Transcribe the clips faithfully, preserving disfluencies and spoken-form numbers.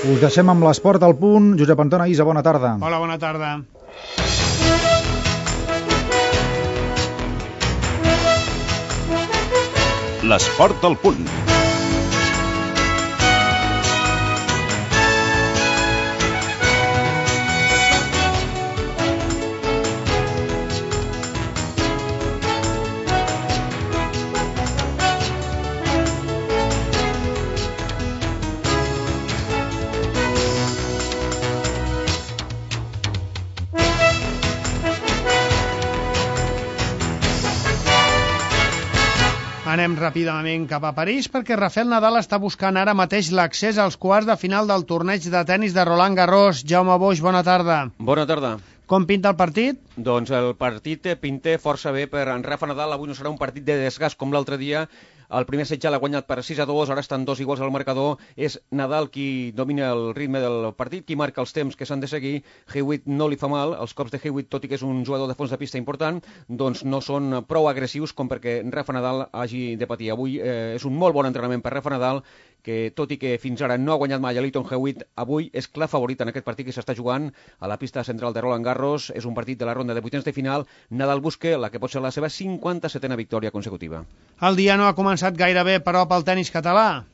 Us deixem amb l'esport al punt. Josep Antona Isa, bona tarda. Hola, bona tarda. L'esport al punt. Anem ràpidament cap a París perquè Rafael Nadal està buscant ara mateix l'accés als quarts de final del torneig de tennis de Roland Garros. Jaume Boix, bona tarda. Bona tarda. Com pinta el partit? Doncs el partit pinta força bé per en Rafa Nadal. Avui no serà un partit de desgast com l'altre dia. El primer set ja l'ha guanyat per sis a dos, ara estan dos iguals al marcador. És Nadal qui domina el ritme del partit, qui marca els temps que s'han de seguir. Hewitt no li fa mal, els cops de Hewitt, tot i que és un jugador de fons de pista important, doncs no són prou agressius com perquè Rafa Nadal hagi de patir. Avui eh, és un molt bon entrenament per Rafa Nadal, que tot i que fins ara no ha guanyat mai a Lleyton Hewitt, avui és clar favorit en aquest partit que s'està jugant a la pista central de Roland Garros. És un partit de la ronda de vuitens de final. Nadal busca la que pot ser la seva cinquanta-setena victòria consecutiva. El dia no ha començat gaire bé, però, pel tenis català.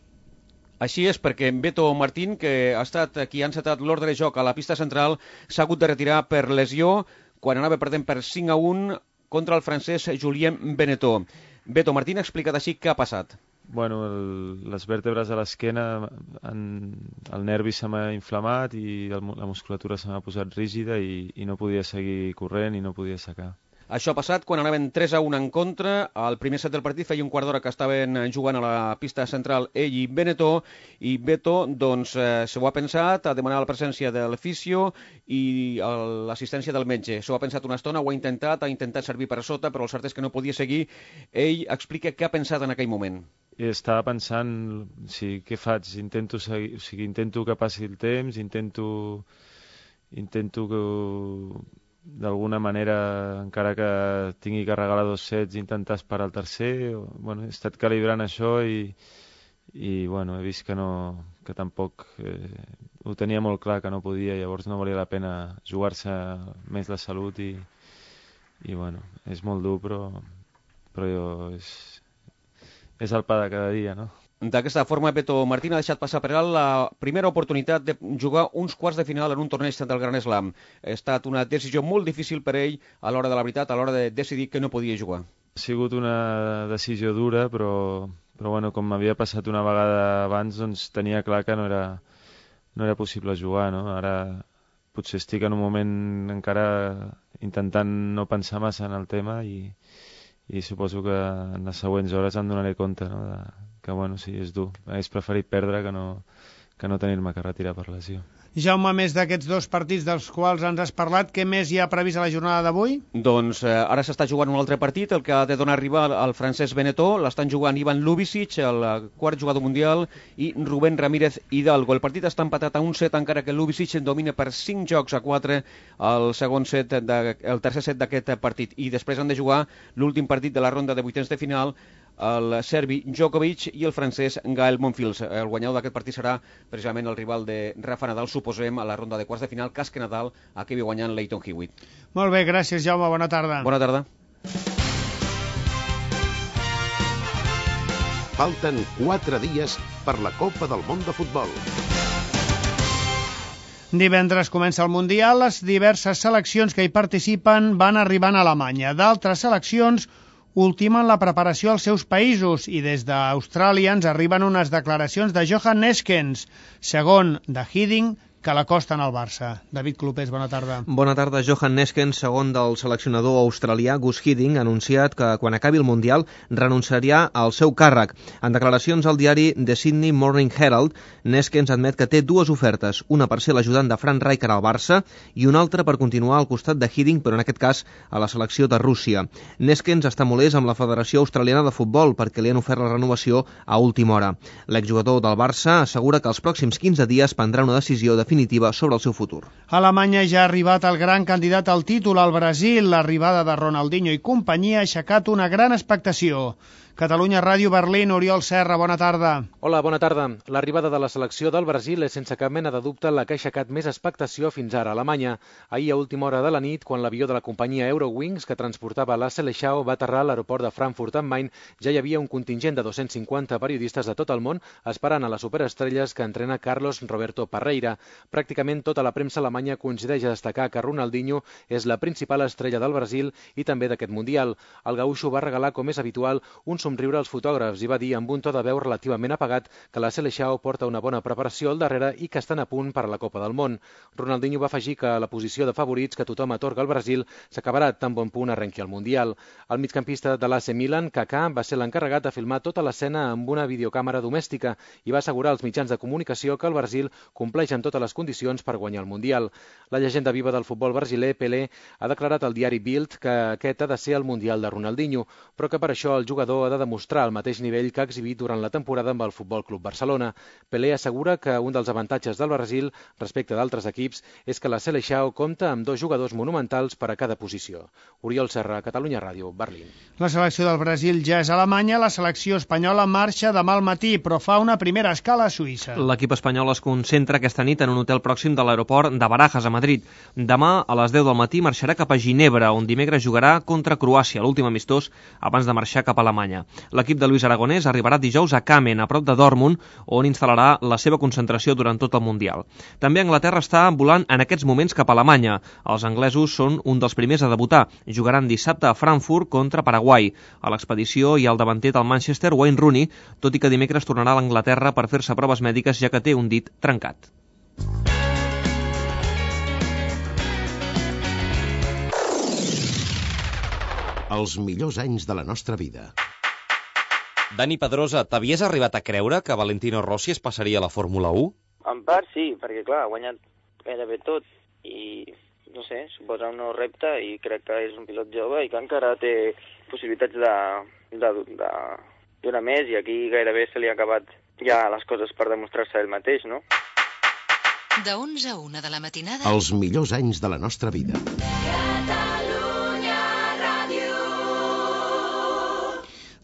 Així és, perquè Beto Martín, que ha estat qui ha encetat l'ordre de joc a la pista central, s'ha hagut de retirar per lesió quan anava perdent per cinc a un contra el francès Julien Benetó. Beto Martín ha explicat així què ha passat. Bueno, el, les vèrtebres a l'esquena, el nervi se m'ha inflamat i el, la musculatura se m'ha posat rígida i, i no podia seguir corrent i no podia assecar. Això ha passat quan anaven tres a un en contra. Al primer set del partit feia un quart d'hora que estaven jugant a la pista central ell i Benetó, i Beto doncs, eh, s'ho ha pensat, ha demanat la presència de l'fisio i l'assistència del metge. S'ho ha pensat una estona, ho ha intentat, ha intentat servir per sota, però el cert és que no podia seguir. Ell explica què ha pensat en aquell moment. I estava pensant, sí, què faig? Intento, seguir, o sigui, intento que passi el temps, intento, intento que d'alguna manera, encara que tingui que regalar dos sets, intentar esperar el tercer. O, bueno, he estat calibrant això i, i bueno, he vist que, no, que tampoc eh, ho tenia molt clar que no podia, llavors no valia la pena jugar-se més la salut i, i bueno, és molt dur, però, però jo, és, és el pa de cada dia, no? D'aquesta forma, Beto Martín ha deixat passar per alt la primera oportunitat de jugar uns quarts de final en un torneig del Gran Slam. Ha estat una decisió molt difícil per ell a l'hora de la veritat, a l'hora de decidir que no podia jugar. Ha sigut una decisió dura, però, però bueno, com m'havia passat una vegada abans, doncs tenia clar que no era, no era possible jugar, no? Ara potser estic en un moment encara intentant no pensar massa en el tema i, i suposo que en les següents hores em donaré compte, no? De, que bueno, sí, és dur. Hagués preferit perdre que no, que no tenir-me que retirar per lesió. Jaume, més d'aquests dos partits dels quals ens has parlat, què més hi ha previst a la jornada d'avui? Doncs eh, ara s'està jugant un altre partit, el que ha de donar rival al francès Benetó. L'estan jugant Ivan Lubicic, el quart jugador mundial, i Rubén Ramírez Hidalgo. El partit està empatat a un set, encara que Lubicic domina per cinc jocs a quatre el segon set, de, el tercer set d'aquest partit. I després han de jugar l'últim partit de la ronda de vuitens de final, el serbi Djokovic i el francès Gael Monfils. El guanyador d'aquest partit serà precisament el rival de Rafa Nadal, suposem, a la ronda de quarts de final, cas que Nadal acabi guanyant Lleyton Hewitt. Molt bé, gràcies, Jaume, bona tarda. Bona tarda. Falten quatre dies per la Copa del Món de Futbol. Divendres comença el Mundial. Les diverses seleccions que hi participen van arribant a Alemanya. D'altres seleccions ultimen la preparació als seus països i des d'Austràlia ens arriben unes declaracions de Johan Neeskens, segon de Hiddink, que l'acosten al Barça. David Clopés, bona tarda. Bona tarda. Johan Neeskens, segon del seleccionador australià Gus Hiddink, ha anunciat que quan acabi el Mundial renunciaria al seu càrrec. En declaracions al diari The Sydney Morning Herald, Neeskens admet que té dues ofertes, una per ser l'ajudant de Frank Rijkaard al Barça i una altra per continuar al costat de Hiddink, però en aquest cas a la selecció de Rússia. Neeskens està molest amb la Federació Australiana de Futbol perquè li han ofert la renovació a última hora. L'exjugador del Barça assegura que els pròxims quinze dies prendrà una decisió definitiva sobre el seu futur. A Alemanya ja ha arribat el gran candidat al títol, al Brasil. L'arribada de Ronaldinho i companyia ha aixecat una gran expectació. Catalunya Ràdio Berlín, Oriol Serra, bona tarda. Hola, bona tarda. L'arribada de la selecció del Brasil és sense cap mena de dubte la que ha aixecat més expectació fins ara a Alemanya. Ahir a última hora de la nit, quan l'avió de la companyia Eurowings que transportava la Seleção va aterrar a l'aeroport de Frankfurt am Main, ja hi havia un contingent de dos-cents cinquanta periodistes de tot el món esperant a les superestrelles que entrena Carlos Roberto Parreira. Pràcticament tota la premsa alemanya coincideix a destacar que Ronaldinho és la principal estrella del Brasil i també d'aquest Mundial. El gaúxo va regalar, com és habitual, un somriure als fotògrafs i va dir amb un to de veu relativament apagat que la Seleção porta una bona preparació al darrere i que estan a punt per a la Copa del Món. Ronaldinho va afegir que la posició de favorits que tothom atorga al Brasil s'acabarà tan bon punt arrenqui el Mundial. El migcampista de l'A C Milan, Kaká, va ser l'encarregat de filmar tota l'escena amb una videocàmera domèstica i va assegurar als mitjans de comunicació que el Brasil compleix amb totes les condicions per guanyar el Mundial. La llegenda viva del futbol brasiler, Pelé, ha declarat al diari Bild que aquest ha de ser el Mundial de Ronaldinho, però que per això el jugador ha de demostrar el mateix nivell que ha exhibit durant la temporada amb el Futbol Club Barcelona. Pelé assegura que un dels avantatges del Brasil respecte d'altres equips és que la Seleção compta amb dos jugadors monumentals per a cada posició. Oriol Serra, Catalunya Ràdio, Berlín. La selecció del Brasil ja és a Alemanya, la selecció espanyola marxa demà al matí, però fa una primera escala a Suïssa. L'equip espanyol es concentra aquesta nit en un hotel pròxim de l'aeroport de Barajas, a Madrid. Demà, a les deu del matí, marxarà cap a Ginebra, on dimecres jugarà contra Croàcia, l'últim amistós abans de marxar cap a Alemanya. L'equip de Luis Aragonès arribarà dijous a Kamen, a prop de Dortmund, on instal·larà la seva concentració durant tot el Mundial. També Anglaterra està volant en aquests moments cap a Alemanya. Els anglesos són un dels primers a debutar. Jugaran dissabte a Frankfurt contra Paraguai. A l'expedició hi ha el davanter del Manchester, Wayne Rooney, tot i que dimecres tornarà a l'Anglaterra per fer-se proves mèdiques, ja que té un dit trencat. Els millors anys de la nostra vida. Dani Pedrosa, t'havies arribat a creure que Valentino Rossi es passaria a la Fórmula u? En part sí, perquè clar, ha guanyat gairebé tot i, no sé, suposa un nou repte i crec que és un pilot jove i que encara té possibilitats de, de, de donar més i aquí gairebé se li ha acabat ja les coses per demostrar-se ell mateix, no? De onze a una de la matinada. Els millors anys de la nostra vida.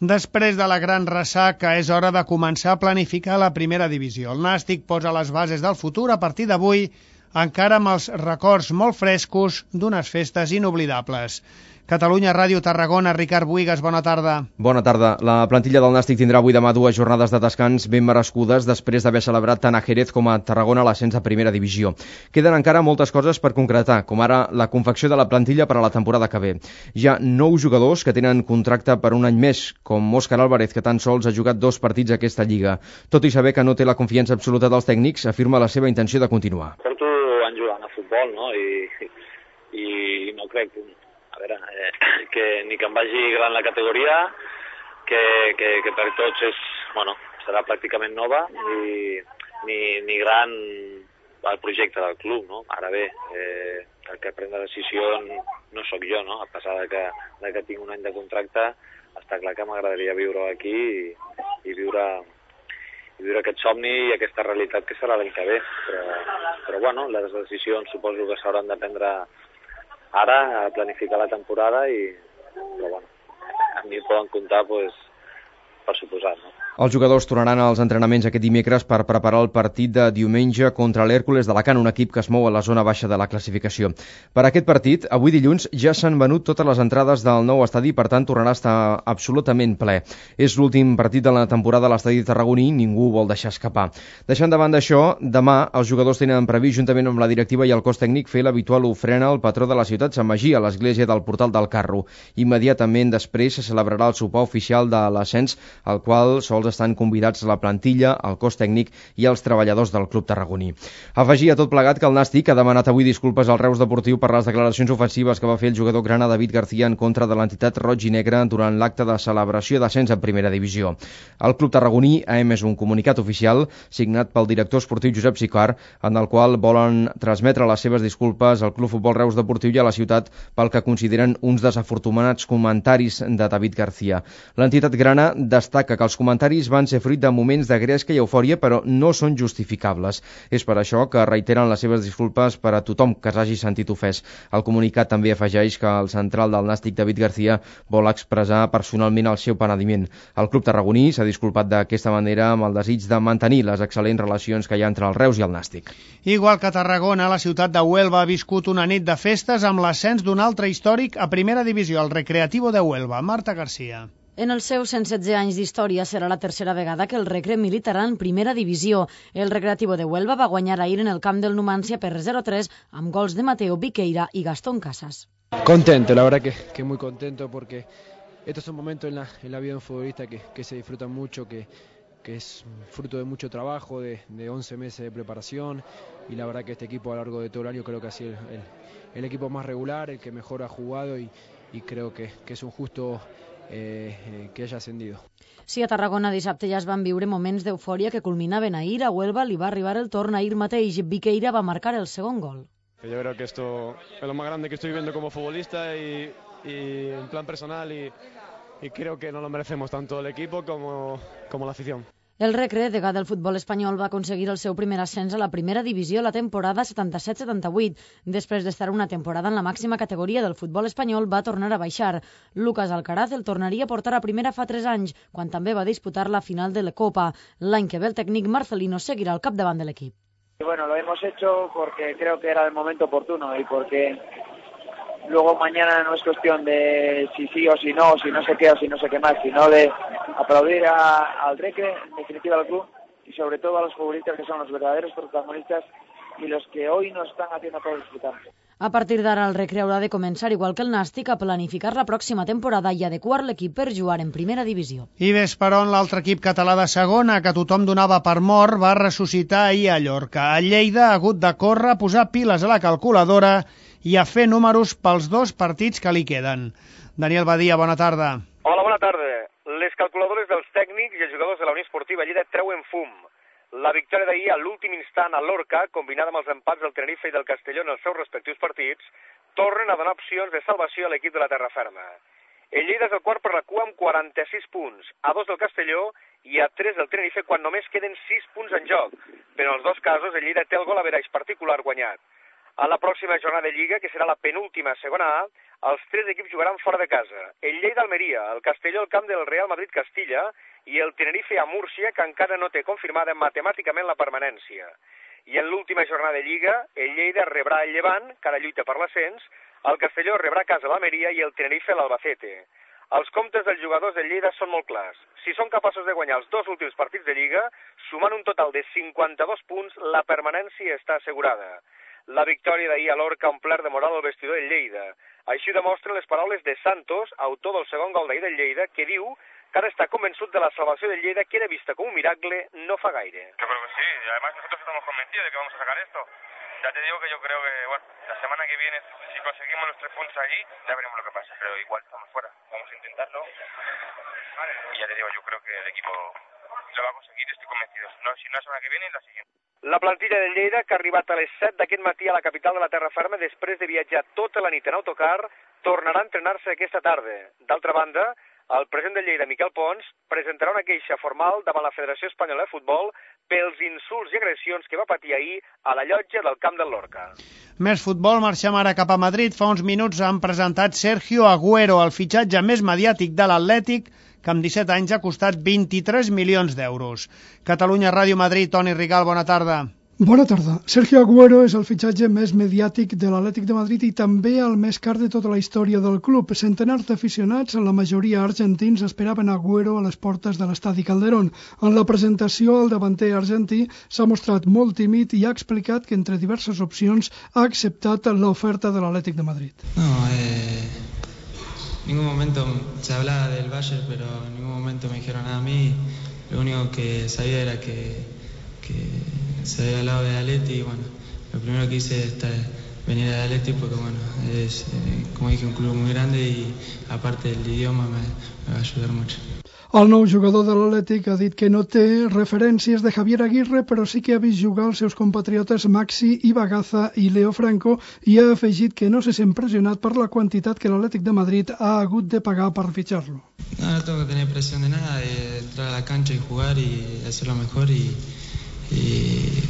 Després de la gran ressaca, és hora de començar a planificar la primera divisió. El Nàstic posa les bases del futur a partir d'avui, encara amb els records molt frescos d'unes festes inoblidables. Catalunya Ràdio Tarragona, Ricard Buigas, bona tarda. Bona tarda. La plantilla del Nàstic tindrà avui demà dues jornades de descans ben merescudes després d'haver celebrat tant a Jerez com a Tarragona l'ascens a primera divisió. Queden encara moltes coses per concretar, com ara la confecció de la plantilla per a la temporada que ve. Hi ha nou jugadors que tenen contracte per un any més, com Òscar Álvarez, que tan sols ha jugat dos partits a aquesta lliga. Tot i saber que no té la confiança absoluta dels tècnics, afirma la seva intenció de continuar. Porto anys jugant a futbol, no? I, i no crec a veure, eh, que ni que em vagi gran la categoria, que, que, que per tots és, bueno, serà pràcticament nova, ni, ni, ni gran el projecte del club, no? Ara bé, eh, el que pren la decisió no sóc jo, no? A pesar de que, de que tinc un any de contracte, està clar que m'agradaria viure aquí i, i viure... i viure aquest somni i aquesta realitat que serà l'any que ve. Però, però bueno, les decisions suposo que s'hauran de prendre ara, a planificar la temporada i, però bueno, a mi poden comptar, pues, per suposat, no? Els jugadors tornaran als entrenaments aquest dimecres per preparar el partit de diumenge contra l'Hèrcules d'Alacant, un equip que es mou a la zona baixa de la classificació. Per aquest partit, avui dilluns, ja s'han venut totes les entrades del nou estadi, per tant tornarà a estar absolutament ple. És l'últim partit de la temporada a l'estadi tarragoní i ningú vol deixar escapar. Deixant de banda això, demà els jugadors tenen previst, juntament amb la directiva i el cos tècnic, fer l'habitual ofrena al patró de la ciutat, Sant Magí, a l'església del Portal del Carro. Immediatament després se celebrarà el sopar oficial de l'ascens, al qual sols estan convidats la plantilla, el cos tècnic i els treballadors del club tarragoní. Afegir a tot plegat que el Nàstic ha demanat avui disculpes al Reus Deportiu per les declaracions ofensives que va fer el jugador grana David García en contra de l'entitat roig i negra durant l'acte de celebració d'ascens en primera divisió. El club tarragoní ha emès un comunicat oficial signat pel director esportiu Josep Sicart, en el qual volen transmetre les seves disculpes al Club Futbol Reus Deportiu i a la ciutat pel que consideren uns desafortunats comentaris de David García. L'entitat grana destaca que els comentaris escenaris van ser fruit de moments de gresca i eufòria, però no són justificables. És per això que reiteren les seves disculpes per a tothom que s'hagi sentit ofès. El comunicat també afegeix que el central del Nàstic, David García, vol expressar personalment el seu penediment. El club tarragoní s'ha disculpat d'aquesta manera amb el desig de mantenir les excel·lents relacions que hi ha entre el Reus i el Nàstic. Igual que Tarragona, la ciutat de Huelva ha viscut una nit de festes amb l'ascens d'un altre històric a primera divisió, el Recreativo de Huelva. Marta García. En els seus cent setze anys d'història serà la tercera vegada que el Recre militarà en primera divisió. El Recreativo de Huelva va guanyar ahir en el camp del Numancia per cero a tres amb gols de Mateo Viqueira y Gastón Casas. Contento, la verdad que, que muy contento porque estos son momentos en la, en la vida de un futbolista que, que se disfrutan mucho, que, que es fruto de mucho trabajo, de, de once meses de preparación, y la verdad que este equipo a lo largo de todo el año creo que ha sido el, el, el equipo más regular, el que mejor ha jugado, y, y creo que, que es un justo eh, que haya ascendido. Sí, a Tarragona dissabte ja es van viure moments d'eufòria que culminaven ahir. A Huelva li va arribar el torn ahir mateix. Viqueira va marcar el segon gol. Yo creo que esto es lo más grande que estoy viviendo como futbolista y, y en plan personal, y, y creo que nos lo merecemos tanto el equipo como, como la afición. El Recre, degà del futbol espanyol, va aconseguir el seu primer ascens a la primera divisió la temporada setanta-set setanta-vuit. Després d'estar una temporada en la màxima categoria del futbol espanyol, va tornar a baixar. Lucas Alcaraz el tornaria a portar a primera fa tres anys, quan també va disputar la final de la Copa. L'any que ve el tècnic Marcelino seguirà al capdavant de l'equip. Bueno, lo hemos hecho porque creo que era el momento oportuno y porque luego mañana no es cuestión de si sí o si no, si no sé qué o si no sé qué más, sino de aplaudir a, al Recre, en definitiva al club, y sobre todo a los futbolistas que son los verdaderos protagonistas y los que hoy nos están haciendo todo disfrutar. A partir d'ara el Recre haurà de començar, igual que el Nàstic, a planificar la pròxima temporada i adequar l'equip per jugar en primera divisió. I Vesperon, l'altre equip català de segona, que tothom donava per mort, va ressuscitar ahir a Llorca. A Lleida ha hagut de córrer, posar piles a la calculadora i a fer números pels dos partits que li queden. Daniel Badia, bona tarda. Hola, bona tarda. Les calculadores dels tècnics i els jugadors de la Unió Esportiva Lleida treuen fum. La victòria d'ahir a l'últim instant a Lorca, combinada amb els empats del Tenerife i del Castelló en els seus respectius partits, tornen a donar opcions de salvació a l'equip de la Terraferma. El Lleida és el quart per la cua amb quaranta-sis punts, a dos del Castelló i a tres del Tenerife quan només queden sis punts en joc. Però en els dos casos el Lleida té el gol average particular guanyat. A la pròxima jornada de Lliga, que serà la penúltima segona A, els tres equips jugaran fora de casa. El Lleida Almeria, el Castelló al camp del Real Madrid Castilla i el Tenerife a Múrcia, que encara no té confirmada matemàticament la permanència. I en l'última jornada de Lliga, el Lleida rebrà el Llevant, que ara lluita per l'ascens, el Castelló rebrà a casa l'Almeria i el Tenerife l'Albacete. Els comptes dels jugadors del Lleida són molt clars. Si són capaços de guanyar els dos últims partits de Lliga, sumant un total de cinquanta-dos punts, la permanència està assegurada. La victòria d'ahir a Lorca ha omplert de moral el vestidor del Lleida. Així ho demostren les paraules de Santos, autor del segon gol d'ahir del Lleida, que diu que ara está convencido de la salvación del Lleida, que era vista como un miracle no fa gaire. Yo creo que sí, y además nosotros estamos convencidos de que vamos a sacar esto. Ya te digo que yo creo que, bueno, la semana que viene, si conseguimos los tres puntos allí, ya veremos lo que pasa, pero igual estamos fuera, vamos a intentarlo. Y ya te digo, yo creo que el equipo lo va a conseguir, estoy convencido. No, si no la semana que viene, la siguiente. La plantilla del Lleida, que ha arribat a les set d'aquest matí a la capital de la terra ferma després de viatjar tota la nit en autocar, tornarà a entrenar-se aquesta tarda. D'altra banda, el president del Lleida, Miquel Pons, presentarà una queixa formal davant la Federació Espanyola de Futbol pels insults i agressions que va patir ahir a la llotja del camp del Lorca. Més futbol, marxem ara cap a Madrid. Fa uns minuts han presentat Sergio Agüero, el fitxatge més mediàtic de l'Atlètic, que amb disset anys ha costat vint-i-tres milions d'euros. Catalunya Ràdio Madrid, Toni Rigal, bona tarda. Bona tarda. Sergio Agüero és el fitxatge més mediàtic de l'Atlètic de Madrid i també el més car de tota la història del club. Centenars d'aficionats, la majoria argentins, esperaven Agüero a les portes de l'estadi Calderón. En la presentació, el davanter argentí s'ha mostrat molt tímid i ha explicat que entre diverses opcions ha acceptat l'oferta de l'Atlètic de Madrid. No, eh... en ningún momento se hablaba del Bayern, pero en ningún momento me dijeron nada a mí. Lo único que sabía era que, que se había hablado de Atleti y bueno, lo primero que hice es venir a Atleti porque bueno, es eh, como dije un club muy grande y aparte del idioma me, me va a ayudar mucho. El nou jugador de l'Atlètic ha dit que no té referències de Javier Aguirre, però sí que ha vist jugar els seus compatriotes Maxi Ibagaza i Leo Franco i ha afegit que no se sent pressionat per la quantitat que l'Atlètic de Madrid ha hagut de pagar per fitxar-lo. No, no tengo que tener presión de nada, de entrar a la cancha y jugar y hacer lo mejor y, y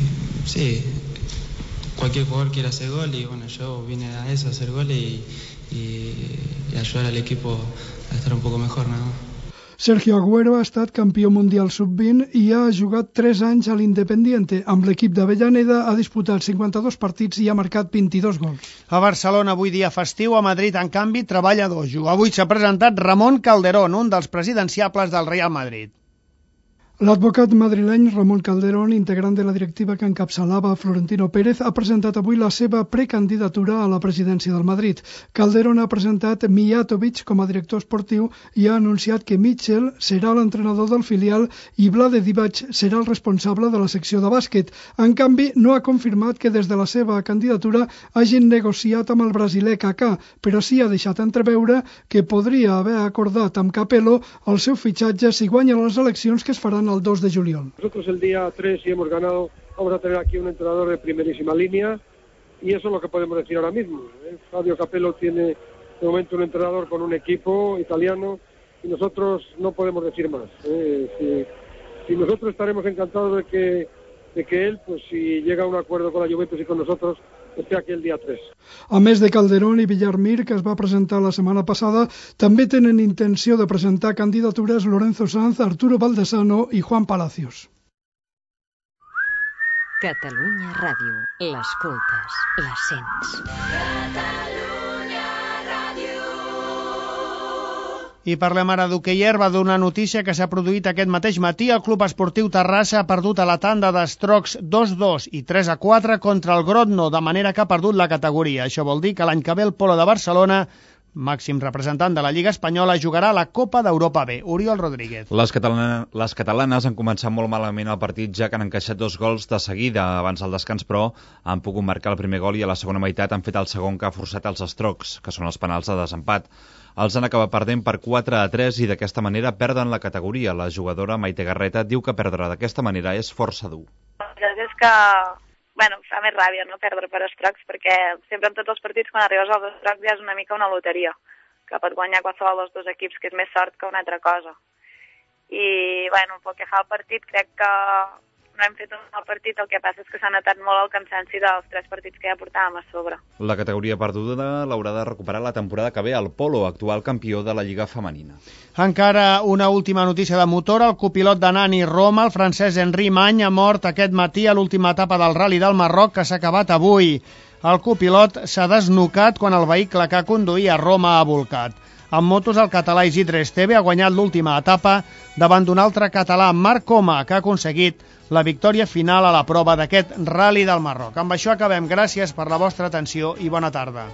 sí, cualquier jugador quiere hacer gol y bueno, yo vine a eso, a hacer goles y, y, y ayudar al equipo a estar un poco mejor nada más. Sergio Agüero ha estat campió mundial sub vint i ha jugat tres anys a l'Independiente. Amb l'equip d'Avellaneda ha disputat cinquanta-dos partits i ha marcat vint-i-dos gols. A Barcelona avui dia festiu, a Madrid, en canvi, treballa dojo. Avui s'ha presentat Ramon Calderón, un dels presidenciables del Real Madrid. L'advocat madrileny Ramon Calderón, integrant de la directiva que encapçalava Florentino Pérez, ha presentat avui la seva precandidatura a la presidència del Madrid. Calderón ha presentat Mijatovic com a director esportiu i ha anunciat que Mitchell serà l'entrenador del filial i Vlade Divac serà el responsable de la secció de bàsquet. En canvi, no ha confirmat que des de la seva candidatura hagin negociat amb el brasiler Kaká, però sí ha deixat entreveure que podria haver acordat amb Capello el seu fitxatge si guanya les eleccions que es faran el dos de juliol. Nosotros el día tres, si hemos ganado, vamos a tener aquí un entrenador de primerísima línea y eso es lo que podemos decir ahora mismo. ¿eh? Fabio Capello tiene de momento un entrenador con un equipo italiano y nosotros no podemos decir más. ¿eh? Si, si nosotros estaremos encantados de que, de que él, pues si llega a un acuerdo con la Juventus y con nosotros, esté aquí el dia tres. A més de Calderón i Villarmir, que es va presentar la setmana passada, també tenen intenció de presentar candidatures Lorenzo Sanz, Arturo Baldesano i Juan Palacios. Catalunya Ràdio. L'escoltes, la sents. Catalunya Ràdio. I parlem ara d'hoquei herba, d'una notícia que s'ha produït aquest mateix matí. El Club Esportiu Terrassa ha perdut a la tanda d'estrocs dos dos i tres a quatre contra el Grodno, de manera que ha perdut la categoria. Això vol dir que l'any que ve el Polo de Barcelona, màxim representant de la Lliga Espanyola, jugarà la Copa d'Europa B. Oriol Rodríguez. Les, catalana, les catalanes han començat molt malament el partit, ja que han encaixat dos gols de seguida abans del descans, però han pogut marcar el primer gol i a la segona meitat han fet el segon, que ha forçat els estrocs, que són els penals de desempat. Els han acabat perdent per quatre a tres i d'aquesta manera perden la categoria. La jugadora Maite Garreta diu que perdre d'aquesta manera és força dur. La veritat és que, bueno, fa més ràbia, no?, perdre per estrocs, perquè sempre en tots els partits, quan arribes als estrocs, ja és una mica una loteria, que pot guanyar qualsevol dels dos equips, que és més sort que una altra cosa. I, bueno, pel que fa al partit, crec que no hem fet un mal partit, el que passa és que s'ha notat molt el cansanci dels tres partits que ja portàvem a sobre. La categoria perduda l'haurà de recuperar la temporada que ve el Polo, actual campió de la Lliga Femenina. Encara una última notícia de motor. El copilot de Nani Roma, el francès Henri Many, ha mort aquest matí a l'última etapa del Rally del Marroc, que s'ha acabat avui. El copilot s'ha desnucat quan el vehicle que conduïa a Roma ha volcat. En motos, el català Isidre Esteve ha guanyat l'última etapa davant d'un altre català, Marc Coma, que ha aconseguit la victòria final a la prova d'aquest Rally del Marroc. Amb això acabem. Gràcies per la vostra atenció i bona tarda.